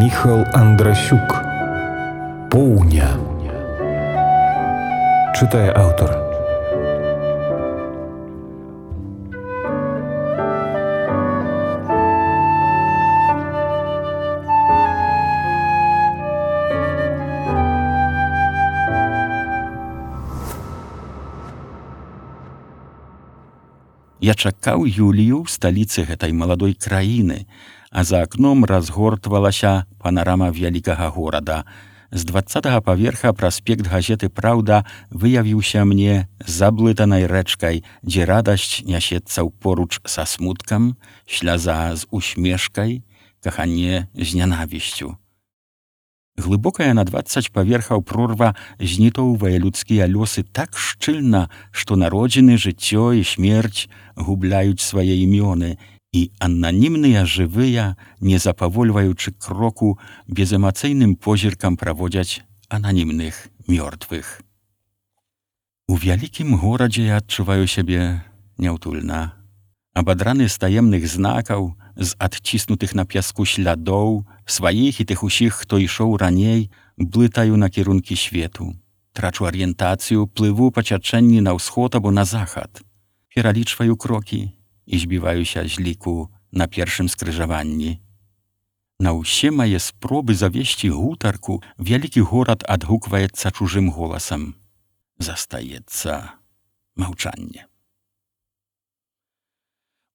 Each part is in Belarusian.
Міхал Андрасюк. Поўня. Чытае аўтар. Я чакаў Юлію ў сталіцы гэтай маладой краіны, а за акном разгортвалася панарама вялікага горада. З 20-го паверха праспект газеты «Праўда» выявіўся мне заблытанай рэчкай, дзе радасць нясецца ўпоруч са смуткам, сляза з усмешкай, каханне з нянавісцю. Глыбокая на 20 паверхаў прорва знітоўвае людскія лёсы так шчыльна, што народзіны, жыццё і смерць губляюць свае імёны, і ананімныя жывыя, не запавольваючы кроку, безэмацыйным позіркам праводзяць ананімных мёртвых. У вялікім горадзе я адчуваю сябе няўтульна. Абадраны з таемных знакаў, з адціснутых на пяску слядоў, сваіх і тых усіх, хто ішоў раней, блытаю на кірункі свету. Трачу арыентацыю, плыву па цячэнні на ўсход або на захад. Пералічваю крокі і збіваюся з ліку на першым скрыжаванні. На ўсе мае спробы завесці гутарку вялікі горад адгукваецца чужым голасам. Застаецца маўчанне.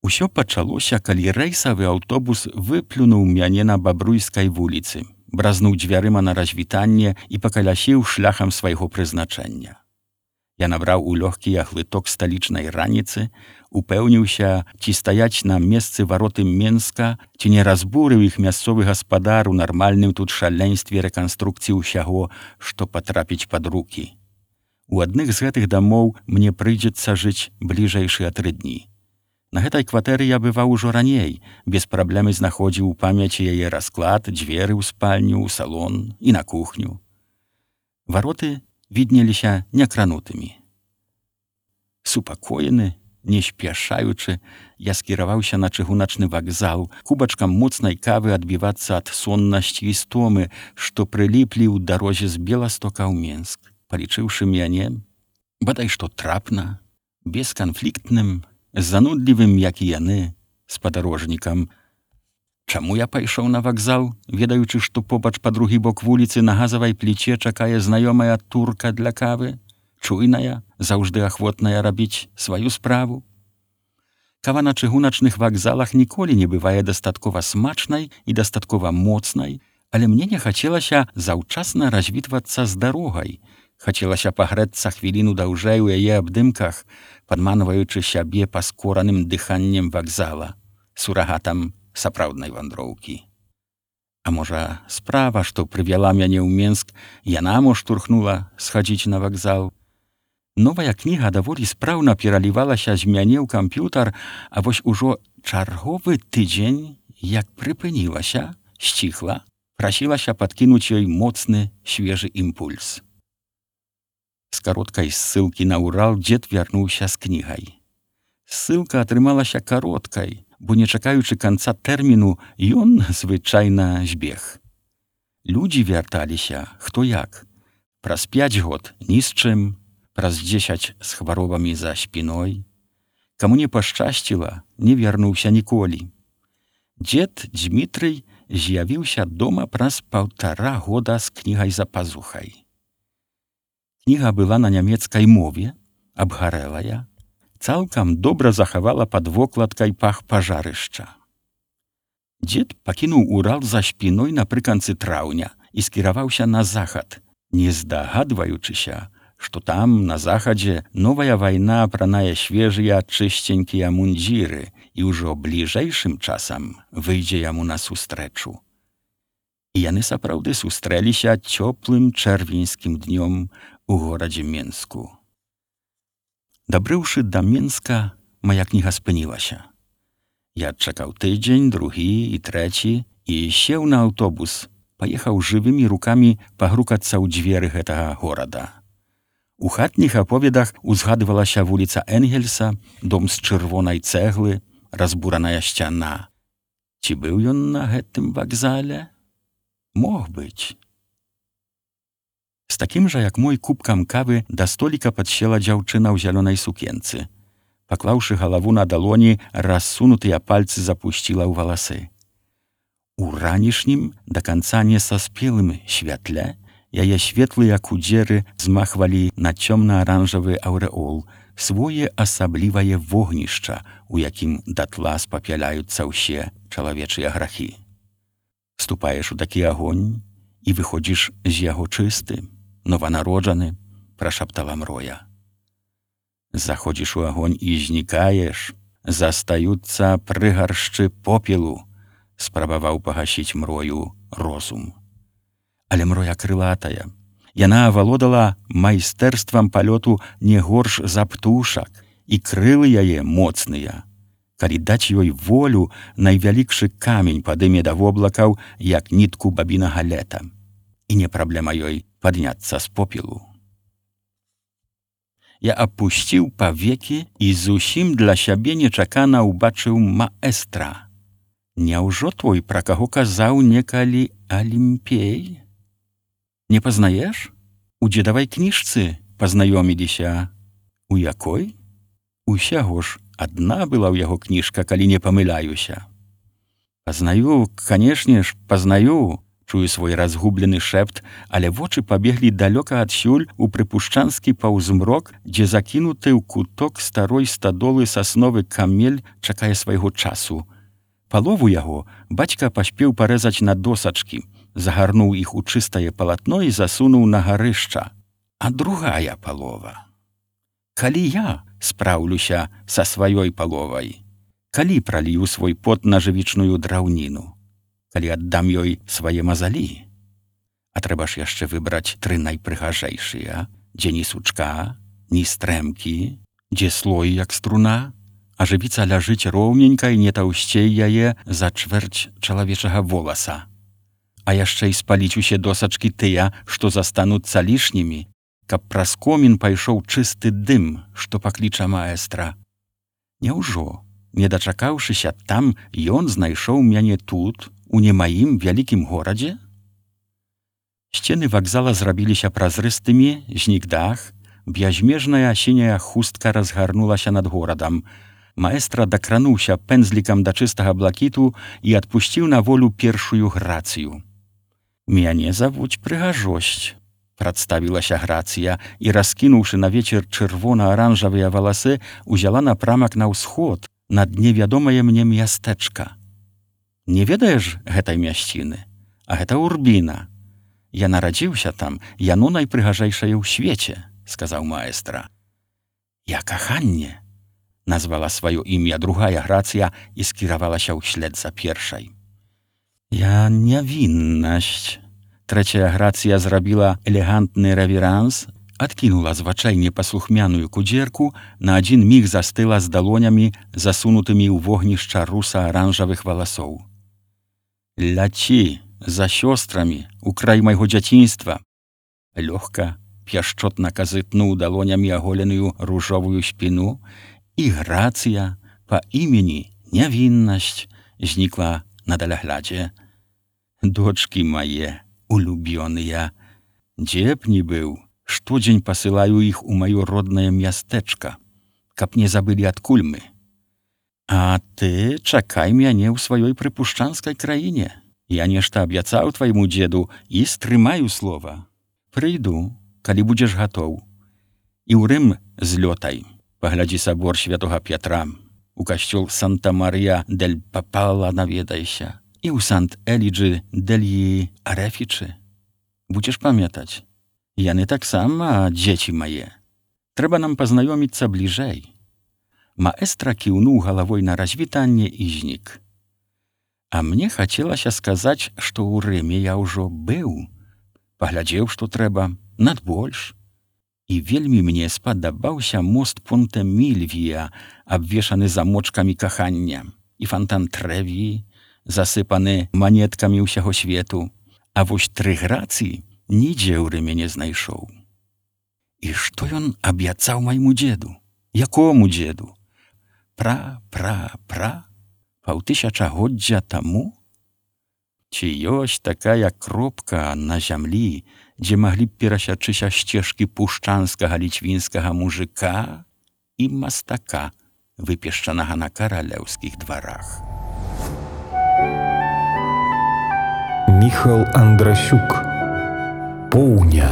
Усё пачалося, калі рэйсавы аўтобус выплюнуў мяне на Бабруйскай вуліцы, бразнуў дзвярыма на развітанне і пакалясіў шляхам свайго прызначэння. Я набраў у лёгкі глыток сталічнай раніцы, упэўніўся, ці стаяць на месцы вароты Менска, ці не разбурыў іх мясцовы гаспадар у нармальным тут шаленстве рэканструкцыі ўсяго, што патрапіць пад рукі. У адных з гэтых дамоў мне прыйдзецца жыць бліжэйшыя 3 дні. На гэтай кватэры я бываў ужо раней, без праблемы знаходзіў у памяці яе расклад, дзверы ў спальню, у салон і на кухню. Вароты віднеліся некранутымі. Супакоены, не спяшаючы, я скіраваўся на чыгуначны вакзал, кубачкам моцнай кавы адбівацца ад соннасці і стомы, што прыліплі ў дарозе з Беластока ў Менск, палічыўшы мяне, бадай што трапна, бесканфліктным, занудлівым, як і яны, спадарожнікам. Чаму я пайшоў на вакзал, ведаючы, што побач па другі бок вуліцы на газавай пліце чакае знаёмая турка для кавы, чуйная, заўжды ахвотная рабіць сваю справу? Кава на чыгуначных вакзалах ніколі не бывае дастаткова смачнай і дастаткова моцнай, але мне не хацелася заўчасна развітвацца з дарогай. Хацелася пагрэцца хвіліну даўжэй у яе абдымках, падманваючы сябе паскораным дыханнем вакзала, сурагатам сапраўднай вандроўкі. А можа, справа, што прывяла мяне ў Менск, яна мо штурхнула схадзіць на вакзал. Новая кніга даволі спраўна пералівалася з мяне ў камп'ютар, а вось ужо чарговы тыдзень, як прыпынілася, сціхла, прасілася падкінуць ёй моцны, свежы імпульс. З кароткай ссылкі на Урал дзед вярнуўся з кнігай. Ссылка атрымалася кароткай, бо не чакаючы канца тэрміну, ён звычайна збег. Людзі вярталіся, хто як. Праз 5 год ні з чым, праз 10 з хваробамі за спіной. Каму не пашчасціла, не вярнуўся ніколі. Дзед Дзмітрый з'явіўся дома праз 1,5 года з кнігай за пазухай. Кніга была на нямецкай мове, абгарэлая, цалкам добра захавала пад вокладкай пах пажарышча. Дзед пакінуў Урал за спіной напрыканцы траўня і скіраваўся на захад, не здагадваючыся, што там, на захадзе, новая вайна апранае свежыя чысценькія мундзіры і ўжо бліжэйшым часам выйдзе яму насустрэчу. І яны сапраўды сустрэліся цёплым чэрвеньскім днём у горадзе Менску. Дабрыўшы да Менска, мая кніга спынілася. Я адчакаў тыдзень, другі і трэці і сеў на аўтобус, паехаў жывымі рукамі пагрукацца ў дзверы гэтага горада. У хатніх аповедах узгадвалася вуліца Энгельса, дом з чырвонай цэглы, разбураная сцяна. Ці быў ён на гэтым вакзале? Мог być. Z takimże jak mój kubkam kawy do stolika podsiela dziewczyna w zielonej sukience. Поклавши голову на долони, рассунутые пальцы запустила в волосы. У ранішнім, до конца не соспелым świetle, яе светлыя кудзеры змахвалі на цёмна-аранжавы аўрэол, свое асаблівае вогнішча, у якім датла спапяляюцца ўсе чалавечыя грахі. Вступаеш у такі агонь і выходзіш з яго чысты, нованароджаны, прашаптала Мроя. Заходзіш у агонь і знікаеш, застаюцца прыгаршчы попелу, спрабаваў пагасіць Мрою розум. Але Мроя крылатая. Яна авалодала майстэрствам палёту не горш за птушак, і крылы яе моцныя. Калі даць ёй волю, найвялікшы камень падыме да воблакаў, як нітку бабінага лета. І не праблема ёй падняцца з попелу. Я апусціў павекі і зусім для сябе нечакана ўбачыў маэстра. Няўжо твой, пра каго казаў некалі Алімпей? Не пазнаеш? У дзедавай кніжцы пазнаёміліся. У якой? Усяго ж адна была ў яго кніжка, калі не памыляюся. Пазнаю, канешне ж, пазнаю, чую свой разгублены шэпт, але вочы пабеглі далёка адсюль у прыпушчанскі паўзмрок, дзе закінуты ў куток старой стадолы сасновы камель чакае свайго часу. Палову яго бацька паспеў парэзаць на досачкі, загарнуў іх у чыстае палатно і засунуў на гарышча. А другая палова. Калі я спраўлюся са сваёй паловай, калі пралію свой пот на жывічную драўніну, калі аддам ёй свае мазалі. А трэба ж яшчэ выбраць 3 найпрыгажэйшыя, дзе ні сучка, ні стрэмкі, дзе слой як струна, а жывіца ляжыць роўненька і не таўсцей яе за чвэрць чалавечага воласа. А яшчэ і спаліць усе досачкі тыя, што застануцца лішнімі, каб праз комін пайшоў чысты дым, што пакліча маэстра. Няўжо, не дачакаўшыся там, ён знайшоў мяне тут, у не маім вялікім горадзе? Сцены вакзала зрабіліся празрыстымі, знік дах, бязмежная сіняя хустка разгарнулася над горадам. Маэстра дакрануўся пэндзлікам да чыстага блакіту і адпусціў на волю першую грацыю. «Мяне завуць прыгажосць», прадставілася Грацыя і, раскінуўшы на вечар чырвона-аранжавыя валасы, узяла напрамак на ўсход, над невядомае мне мястэчка. Не ведаеш гэтай мясціны? А гэта Урбіна. Я нарадзіўся там, яно найпрыгажэйшае ў свеце, сказаў маэстра. Я каханне, назвала сваё імя другая Грацыя і скіравалася ўслед за першай. Я нявіннасць. Трэцяя Грацыя зрабіла элегантны рэверанс, адкінула з вачэй непаслухмяную кудзерку, на адзін міг застыла з далонямі, засунутымі ў вогнішча руса-аранжавых валасоў. Ляці за сёстрамі у край майго дзяцінства. Лёгка, пяшчотна казытнуў далонямі аголеную ружовую спіну, і Грацыя па імені Нявіннасць знікла на даляглядзе. Дочкі мае, улюбёныя, дзе б ні быў, штодзень пасылаю іх у маё роднае мястэчка, каб не забылі адкуль мы. А ты чакай мяне ў сваёй прыпушчанскай краіне. Я нешта абяцаў твайму дзеду і стрымаю слова. Прыйду, калі будзеш гатоў. І ў Рым злётай. Паглядзі сабор святога Пятра. У касцёл Санта-Марія-дель-Папала наведайся. І ў Сант-Эліджы-дель-Арэфічы. Будзеш памятаць. Яны таксама дзеці мае. Трэба нам пазнаёміцца бліжэй. Маэстра кіўнуў галавой на развітанне і знік. А мне хацелася сказаць, што ў Рыме я ўжо быў. Паглядзеў, што трэба, надбольш. І вельмі мне спадабаўся мост Понте-Мільвія, абвешаны замочкамі кахання, і фонтан Трэві, засыпаны манеткамі ўсяго свету. А вось 3 Грацыі нідзе ў Рыме не знайшоў. І што ён абяцаў майму дзеду? Якому дзеду? Паўтысячагоддзя таму? Ці ёсць такая кропка на зямлі, дзе маглі б перасячыся сцежкі пушчанскага ліцвінскага мужика і мастака, выпешчанага на каралеўскіх дварах. Міхал Андрасюк. Поўня.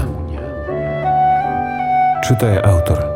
Чытае аўтар.